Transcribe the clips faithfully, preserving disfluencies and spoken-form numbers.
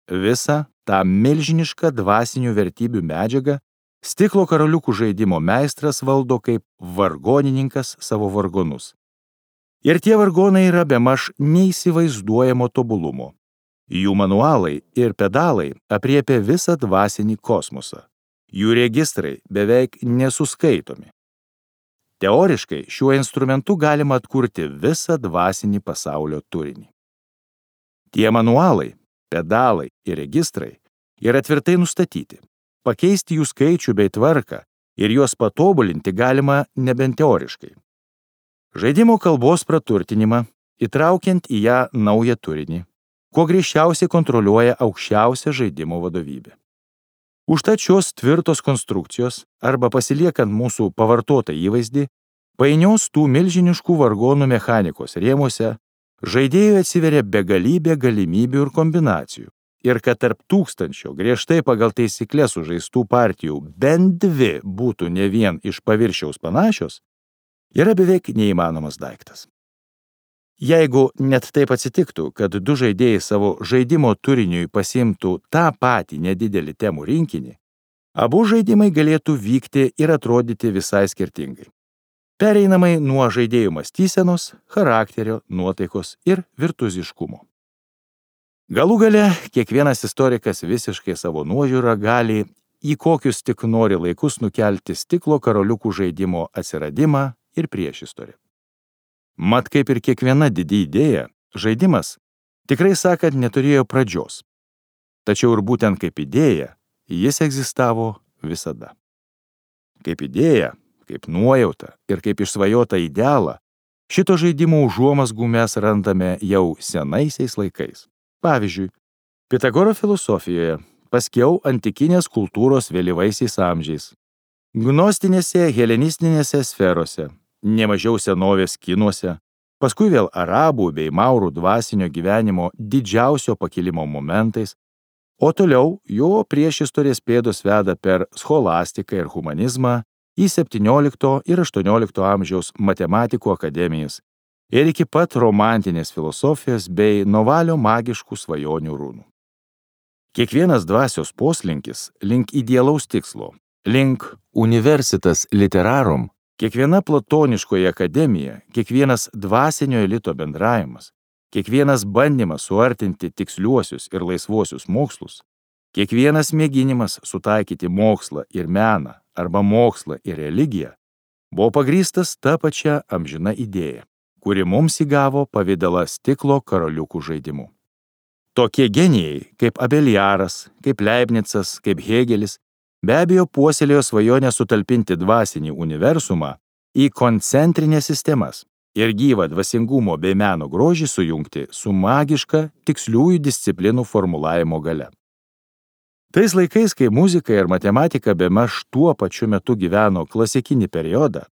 visą tą milžinišką dvasinių vertybių medžiagą stiklo karaliukų žaidimo meistras valdo kaip vargonininkas savo vargonus. Ir tie vargonai yra bemaž neįsivaizduojamo tobulumo. Jų manualai ir pedalai apriepia visą dvasinį kosmosą. Jų registrai beveik nesuskaitomi. Teoriškai šiuo instrumentu galima atkurti visą dvasinį pasaulio turinį. Tie manualai, pedalai ir registrai yra tvirtai nustatyti. Pakeisti jų skaičių bei tvarką ir juos patobulinti galima nebent teoriškai. Žaidimo kalbos praturtinimą, įtraukiant į ją naują turinį, kuo griežčiausiai kontroliuoja aukščiausia žaidimo vadovybė. Užtat šios tvirtos konstrukcijos, arba pasiliekant mūsų pavartotą įvaizdį, painios tų milžiniškų vargonų mechanikos rėmuose, žaidėjui atsiveria begalybė galimybių ir kombinacijų, ir kad tarp tūkstančio griežtai pagal taisykles sužaistų partijų bent dvi būtų ne vien iš paviršiaus panašios, yra beveik neįmanomas daiktas. Jeigu net taip atsitiktų, kad du žaidėjai savo žaidimo turiniui pasiimtų tą patį nedidelį temų rinkinį, abu žaidimai galėtų vykti ir atrodyti visai skirtingai. Pereinamai nuo žaidėjų mąstysenos, charakterio, nuotaikos ir virtuoziškumo. Galų gale, kiekvienas istorikas visiškai savo nuožiūrą gali į kokius tik nori laikus nukelti stiklo karaliukų žaidimo atsiradimą ir priešistorę. Mat, kaip ir kiekviena didi idėja, žaidimas, tikrai sakant, neturėjo pradžios. Tačiau ir būtent kaip idėja, jis egzistavo visada. Kaip idėja, kaip nuojauta ir kaip išsvajota idealą, šito žaidimo užuomazgų mes randame jau senaisiais laikais. Pavyzdžiui, Pitagoro filosofijoje, paskiau antikinės kultūros vėlyvaisiais amžiais, gnostinėse helenistinėse sferose, nemažiau senovės kinuose, paskui vėl arabų bei maurų dvasinio gyvenimo didžiausio pakilimo momentais, o toliau jo priešistorės pėdos veda per scholastiką ir humanizmą į septyniolikto ir aštuoniolikto amžiaus matematikų akademijas ir iki pat romantinės filosofijos bei Novalio magiškų svajonių runų. Kiekvienas dvasios poslinkis link idealaus tikslo, link universitas literarum, kiekviena platoniškoji akademija, kiekvienas dvasinio elito bendravimas, kiekvienas bandymas suartinti tiksliuosius ir laisvuosius mokslus, kiekvienas mėginimas sutaikyti mokslą ir meną arba mokslą ir religiją, buvo pagrįstas ta pačia amžina idėja, kuri mums įgavo pavidalą stiklo karaliukų žaidimu. Tokie genijai kaip Abeliaras, kaip Leibnicas, kaip Hėgelis, be abejo puoselėjo svajonę sutalpinti dvasinį universumą į koncentrinės sistemas ir gyvą dvasingumo bei meno grožį sujungti su magiška tiksliųjų disciplinų formulavimo galia. Tais laikais, kai muzika ir matematika bemaž tuo pačiu metu gyveno klasikinį periodą,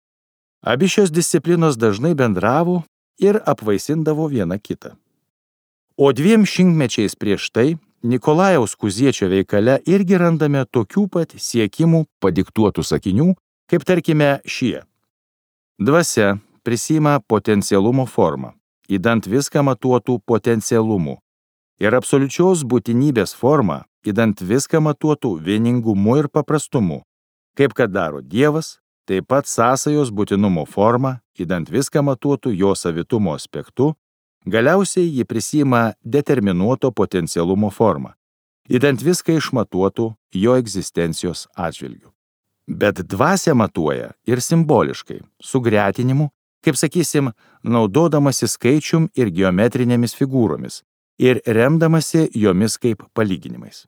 abi šios disciplinos dažnai bendravo ir apvaisindavo viena kitą. O dviem šimtmečiais prieš tai Nikolajaus Kuziečio veikale irgi randame tokių pat siekimų padiktuotų sakinių, kaip tarkime šie. Dvasia prisima potencialumo formą, įdant viską matuotų potencialumu, ir absoliučios būtinybės formą, įdant viską matuotų vieningumu ir paprastumu, kaip kad daro Dievas, taip pat sąsajos būtinumo formą, įdant viską matuotų jo savitumo aspektu. Galiausiai ji prisima determinuoto potencialumo formą, įdant viską išmatuotų jo egzistencijos atžvilgiu. Bet dvasia matuoja ir simboliškai, su gretinimu, kaip sakysim, naudodamasi skaičium ir geometrinėmis figūromis ir remdamasi jomis kaip palyginimais.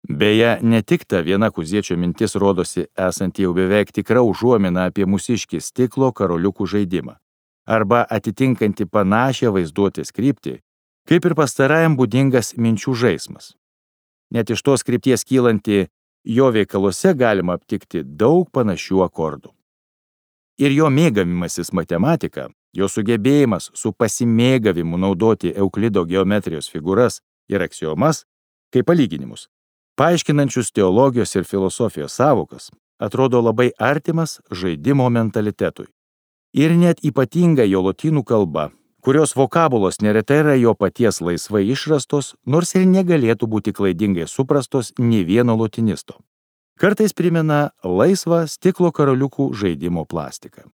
Beje, ne tik ta viena Kuziečio mintis rodosi esanti jau beveik tikra užuomina apie mūsiškį stiklo karaliukų žaidimą, arba atitinkanti panašią vaizduotės kryptį, kaip ir pastarajam būdingas minčių žaismas. Net iš tos krypties kylanti jo veikaluose galima aptikti daug panašių akordų. Ir jo mėgavimasis matematika, jo sugebėjimas su pasimėgavimu naudoti Euklido geometrijos figūras ir aksiomas, kaip palyginimus, paaiškinančius teologijos ir filosofijos sąvokas, atrodo labai artimas žaidimo mentalitetui. Ir net ypatinga jo lotynų kalba, kurios vokabulos neretai yra jo paties laisvai išrastos, nors ir negalėtų būti klaidingai suprastos nė vieno lotinisto. Kartais primena laisvą stiklo karoliukų žaidimo plastiką.